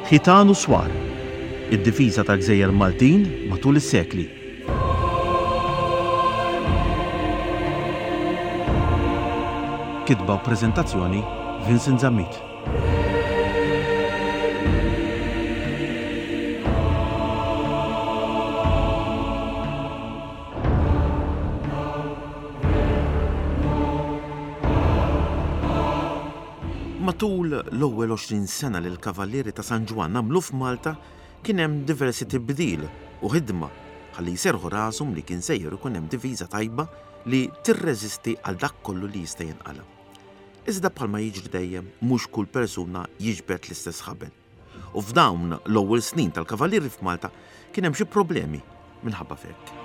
Ħitan u Swar, id-difiża tal-gżejjer Maltin matul is-sekli. Kitba u preżentazzjoni Vincent Zammit. Matul l-ewwel 20 sena li l-Kavallieri ta' San Ġwann għamlu f'Malta kien hemm diversi tibdil u ħidma ħalli jserrħu rashom li kien sejjer ikun hemm diviża tajba li tirreżisti għal dak kollu li jista' jinqala'. Iżda bħalma jiġri dejjem mhux kull persuna jiġbed l-istess ħabel. U f'dawn l-ewwel snin tal-Kavallieri f'Malta kien hemm xi problemi minħabba f'hekk.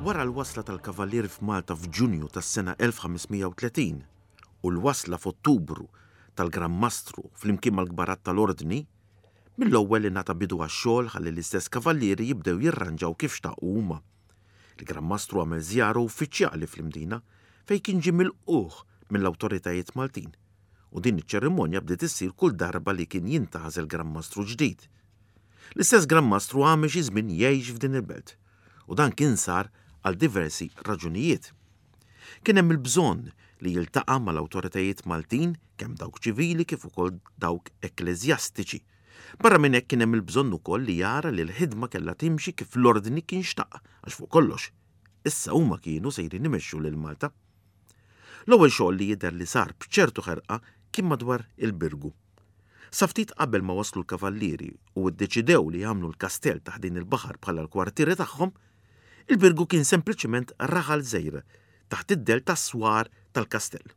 Wara l-wasla tal-Kavallieri f'Malta f'Ġunju tas-sena 1530 u l-wasla f'Ottubru tal-Gran Mastru flimkien mal-kbarat tal-Ordni, Mill-ewwel ingħata bidu għax-xogħol ħalli l-istess kavallieri jibdew jirranġaw kif xtaqu huma. Il-Gran Mastru għamel żjara uffiċjali fl-Imdina fejn kien ġie milqugħ mill-awtoritajiet Maltin u din iċ-ċerimonja bdiet issir kull darba li kien jintgħażel Gran Mastru ġdid. L-istess Gran Mastru għamel xi żmien jgħix f'din il-belt u dan kien sar għal diversi raġunijiet. Kien hemm il-bżonn li jiltaqa' mal-awtoritajiet Maltin, kemm dawk ċivili kif ukoll dawk ekkleżjastiċi. Barra minn hekk kien hemm il-bżonn ukoll li jara li l-ħidma kellha timxi kif l-Ordni kien xtaq għax fuq kollox, issa huma kienu sejrin imexxu lil Malta. L-ewwel xogħol li jidher li sar b'ċertu ħerqa kien madwar il-Birgu. Sa ftit qabel ma waslu l-Kavallieri u ddeċidew li jagħmlu l-kastell ta' ħdejn il-baħar bħala l-kwartieri tagħhom, Il-Birgu kien sempliċement raħal żgħir taħt id-dell tas-swar tal-kastell.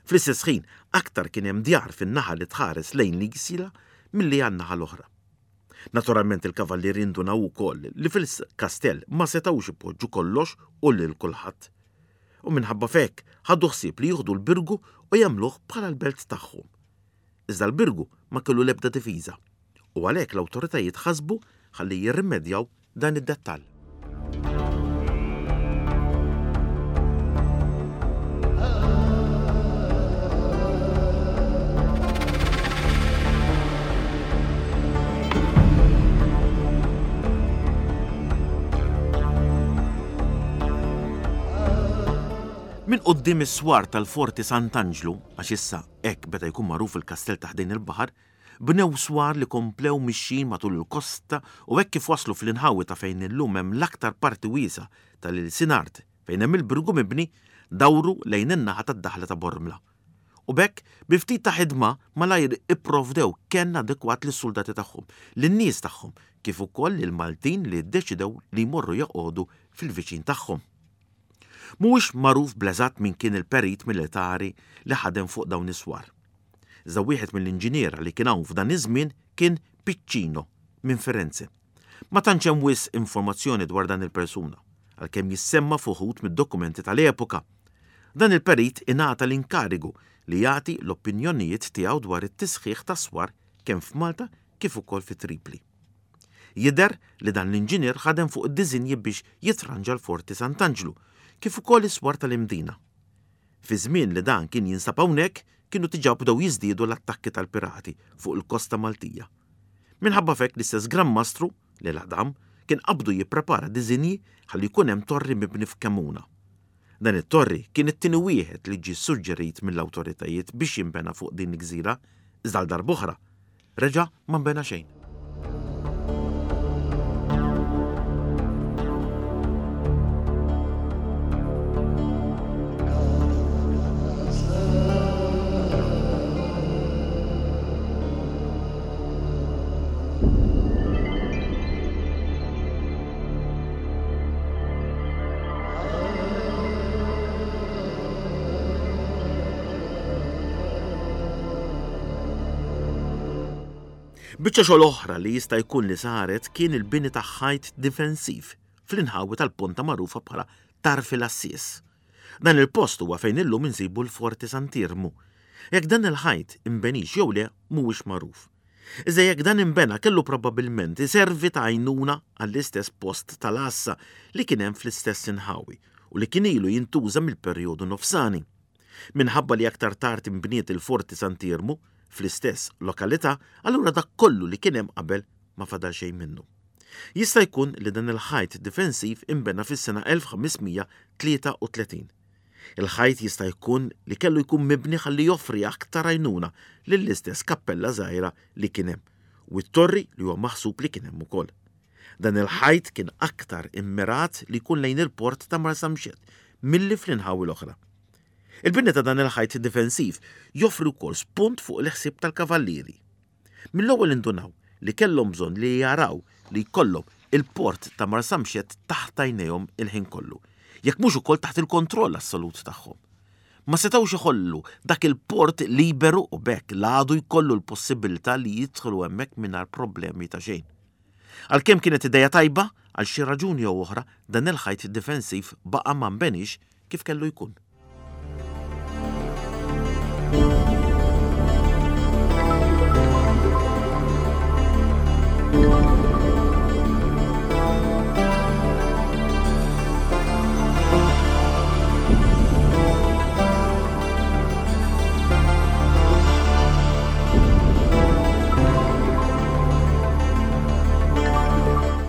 Fl-istess ħin, aktar kien hemm djar fin-naħa li tħares lejn l-Isla milli għan-naħa l-oħra. Naturalment il-kavallieri ndunaw ukoll li fil-kastell ma setgħux ipoġġu kollox u lil kulħadd. U minħabba f'hekk ħadu ħsieb li jieħdu l-Birgu u jagħmluh bħala l-belt tagħhom. Iżda l-Birgu ma kellu l-ebda difiża u għalhekk l-awtoritajiet ħasbu ħalli jirrimedjaw dan id-dettall. Minn quddiem is-swar tal-Forti Sant'Anġlu, għax issa hekk beda jkun magħruf il-kastell ta' ħdejn il-baħar, Bnew swar li komplew mixjin matul il-kosta u hekk kif waslu fl-inħawi ta' fejn illum hemm l-aktar parti wiesgħa tal-ilsien art fejn hemm il-Birgu mibni, dawru lejn in-naħa tad-daħla ta' Bormla. U b'hekk, bi ftit ta' ħidma, malajr ipprovdew kenn adekwat lis-suldati tagħhom, lin-nies tagħhom, kif ukoll lill-Maltin li ddeċidew li jmorru joqogħdu fil-viċin tagħhom. Mhuwiex magħruf bl-eżatt min kien il-perit militari li ħadem fuq dawn is-swar. Iżda wieħed mill-inġiniera li kien hawn f'dan iż-żmien kien Piccino minn Firenze. Ma tantx hemm wisq informazzjoni dwar dan il-persuna, għalkemm jissemma f'uħud mid-dokumenti tal-epoka. Dan il-perit ingħata l-inkarigu li jagħti l-opinjonijiet tiegħu dwar it-tisħiħ tas-swar kemm f'Malta kif ukoll fi Tripli. Jidher li dan l-inġinier ħadem fuq id-diżinji biex jitranġa l-Forti Sant'Anġlu, kif ukoll is-swar tal-Imdina. Fiż-żmien li dan kien jinsab hawnhekk, kienu diġà bdew jiżdiedu l-attakki tal-pirati fuq il-kosta Maltija. Minħabba f'hekk l-istess Gran Mastru, li l-Adam, kien qabdu jipprepara diżinji ħalli jkun hemm torri mibni f'Kemuna. Dan it-torri kien it-tieni wieħed li ġie ssuġġerit mill-awtoritajiet biex jinbena fuq din il-gżira, iżda għal darb'oħra Reġa' ma nbena xejn. Biċċa xogħol oħra li jista' jkun li saret kien il-bini ta' ħajt difensiv fl-inħawi tal-ponta magħrufa bħala Tarf il-Għassies. Dan il-post huwa fejn illum insibu l-Forti Sant'Iermu. Jekk dan il-ħajt inbenix jew le mhuwiex magħruf. Iżda jekk dan inbena kellu probabbilment iservi ta' għajnuna għall-istess post tal-għassa li kien hemm fl-istess inħawi u li kien ilu jintuża mill-perjodu nofsani. Minħabba li aktar tard inbniet il-Forti Sant'Iermu fl-istess lokalità, allura dak kollu li kien hemm qabel ma fadal xejn minnu. Jista' jkun li dan il-ħajt difensiv inbena fis-sena 1533. Il-ħajt jista' jkun li kellu jkun mibni ħalli joffri aktar għajnuna lill-istess kappella żgħira li kien hemm u t-torri li huwa maħsub li kien hemm ukoll. Dan il-ħajt kien aktar immirat li jkun lejn il-port ta' Marsamxett milli fl-inħawi l-oħra. Il-bini ta' dan il-ħajt difensiv joffri wkoll spunt fuq il-ħsieb tal-kavallieri. Mill-ewwel indunaw li kellhom bżonn li jaraw li jkollhom il-port ta' Marsamxett taħt għajnejhom il-ħin kollu, jekk mhux ukoll taħt il-kontroll assolut tagħhom. Ma setgħux iħollu dak il-port liberu u b'hekk l-għadu jkollu l-possibilità li jidħlu hemmhekk mingħajr problemi ta' xejn. Għalkemm kienet idea tajba, għal xi raġuni jew oħra dan il-ħajt difensiv baqa' ma nbeniex kif kellu jkun.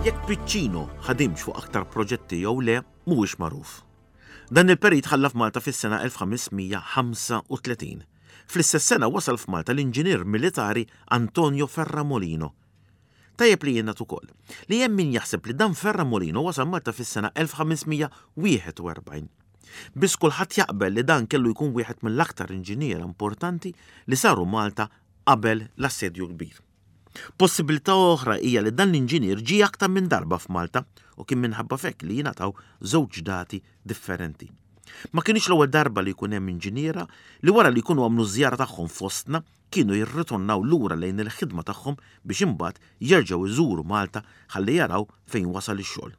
Jekk Piccino ħadimx fuq aktar proġetti jew le mhuwiex magħruf. Dan il-perit ħalla f'Malta fis-sena 1535. Fl-istess sena wasal f'Malta l-inġinier militari Antonio Ferramolino. Tajjeb li jingħad ukoll li hemm min jaħseb li dan Ferramolino wasal Malta fis-sena 1541. Biss kulħadd jaqbel li dan kellu jkun wieħed mill-aktar inġiniera importanti li saru Malta qabel l-Assedju l-Kbir. Possibilità oħra hija li dan l-inġinier ġie aktar minn darba f'Malta u kien minħabba f'hekk li jingħataw żewġ dati differenti. Ma kinitx l-ewwel darba li jkun hemm inġiniera li wara li jkunu għamlu ż-żjara tagħhom fostna kienu jirritornaw lura lejn il-ħidma tagħhom biex imbagħad jerġgħu jżuru Malta ħalli jaraw fejn wasal ix-xogħol.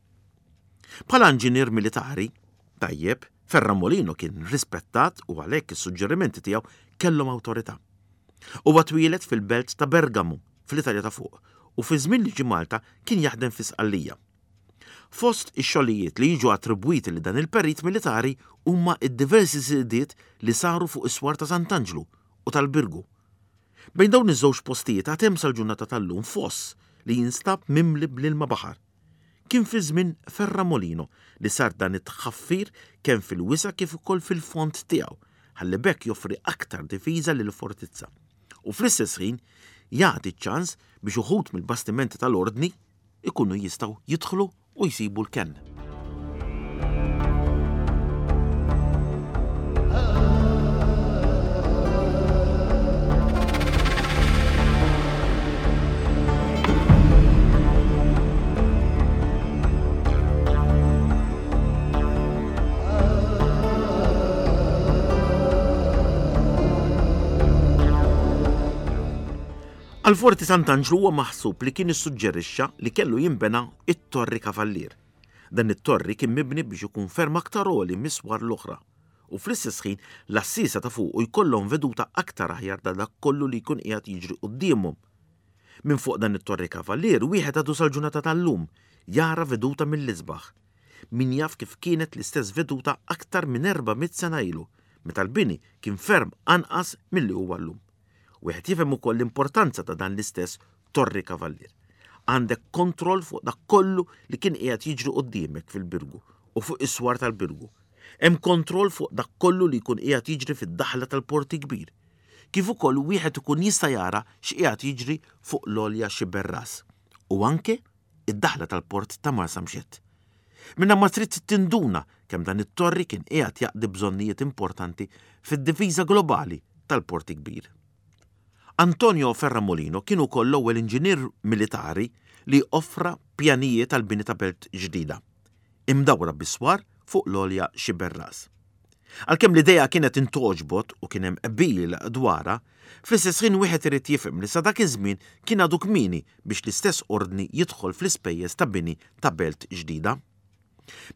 Bħala inġinier militari tajjeb, Ferramolino kien rispettat u għalhekk is-suġġerimenti tiegħu kellhom awtorità. Huwa twieled fil-belt ta' Bergamo, fl-Italja ta' Fuq, u fiż-żmien li ġie Malta kien jaħdem fi Sqallija. Fost ix-xogħlijiet li jiġu attribwiti lil dan il-perit militari huma d-diversi żidiet li saru fuq is-swar ta' Sant'Anġlu u tal-Birgu. Bejn dawn iż-żewġ postijiet għad hemm sal-ġurnata tal-lum foss li jinstab mimli bl-ilma baħar. Kien fi żmien Ferramolino li sar dan it-tħaffir kemm fil-wisa' kif ukoll fil-fond tiegħu ħalli b'hekk joffri aktar difiża lill-fortizza u fl-istess ħin jagħti ċ-ċans biex uħud mill-bastimenti tal-Ordni jkunu jistgħu jidħlu u jsibu l-kenn. Għal Forti Sant'Anġlu huwa maħsub li kien issuġġerixxa li kellu jinbena it-Torri Kavallier. Dan it-torri kien mibni biex ikun ferm aktar għoli mis-swar l-oħra u fl-istess ħin l-għassiesa ta' fuqu jkollhom veduta aktar aħjar ta' dak kollu li jkun qiegħed jiġri quddiemhom. Minn fuq dan it-Torri Kavallier wieħed għadu sal-ġurnata tal-lum jara veduta mill-isbaħ. Min jaf kif kienet l-istess veduta aktar minn 400 sena ilu, meta l-bini kien ferm anqas milli huwa llum. Wieħed jifhem ukoll l-importanza ta' dan l-istess Torri Kavallier. Għandek kontroll fuq dak kollu li kien qiegħed jiġri quddiemek fil-Birgu u fuq is-swar tal-Birgu. Hemm kontroll fuq dak kollu li jkun qiegħed jiġri fid-daħla tal-Port il-Kbir. Kif ukoll wieħed ikun jista' jara x'qiegħed jiġri fuq l-għolja Xiberras u anke id-daħla tal-port ta' Marsamxett. Minnha ma trid tinduna kemm dan it-torri kien qiegħed jaqdi bżonnijiet importanti fid-difiża globali tal-Port il-Kbir. Antonio Ferramolino kien ukoll l-ewwel inġinier militari li offra pjanijiet għall-bini ta' belt ġdida, imdawra bi swar fuq l-għolja Xiberras. Għalkemm l-idea kienet intgħoġbot u kien hemm qbil dwarha, fl-istess ħin wieħed irid jifhem li sa dak iż-żmien kien għadu kmieni biex l-istess ordni jidħol fl-ispejjeż ta' bini ta' belt ġdida.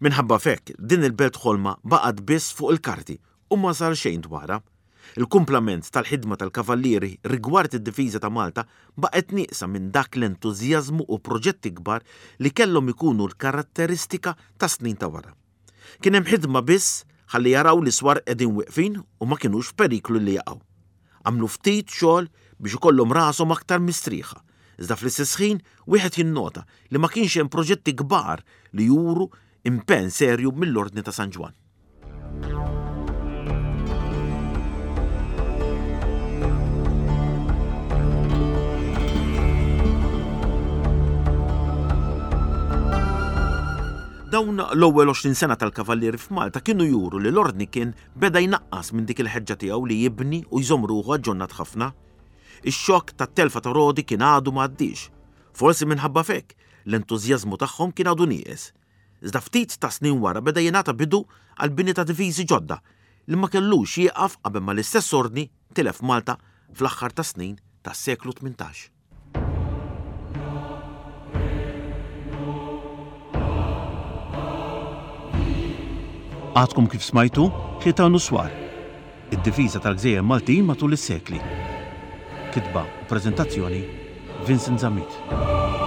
Minħabba f'hekk, din il-belt ħolma baqgħet biss fuq il-karti u ma sar xejn dwarha. Il-kumplament tal-ħidma tal-Kavallieri rigward id-difiża ta' Malta baqgħet nieqsa minn dak l-entużjażmu u proġetti kbar li kellhom ikunu l-karatteristika tas-snin ta' wara. Kien hemm ħidma biss ħalli jaraw li s-swar qegħdin wieqfin u ma kinux f'periklu li jaqgħu. Għamlu ftit xogħol biex ikollhom rashom aktar mistrieħa, iżda fl-istess ħin wieħed jinnota li ma kienx hemm proġetti kbar li juru impenn serju mill-Ordni ta' San Ġwann. Dawn l-ewwel 20 sena tal-Kavallieri f'Malta kienu juru li l-Ordni kien beda jnaqqas minn dik il-ħeġġa tiegħu li jibni u jżomm ruħu aġġornat ħafna. Ix-xokk tat-telfa ta' Rodi kien għadu ma għaddiex. Forsi minħabba f'hekk, l-entużjażmu tagħhom kien għadu nieqes. Iżda ftit ta' snin wara beda jingħata bidu għall-bini ta' difiżi ġodda li ma kellux jieqaf qabel ma l-istess Ordni tilef Malta fl-aħħar tas-snin tas-seklu 18. Għadkom kif smajtu Ħitan u Swar, id-difiża tal-gżejjer Maltin matul is-sekli. Kitba u preżentazzjoni Vincent Zammit.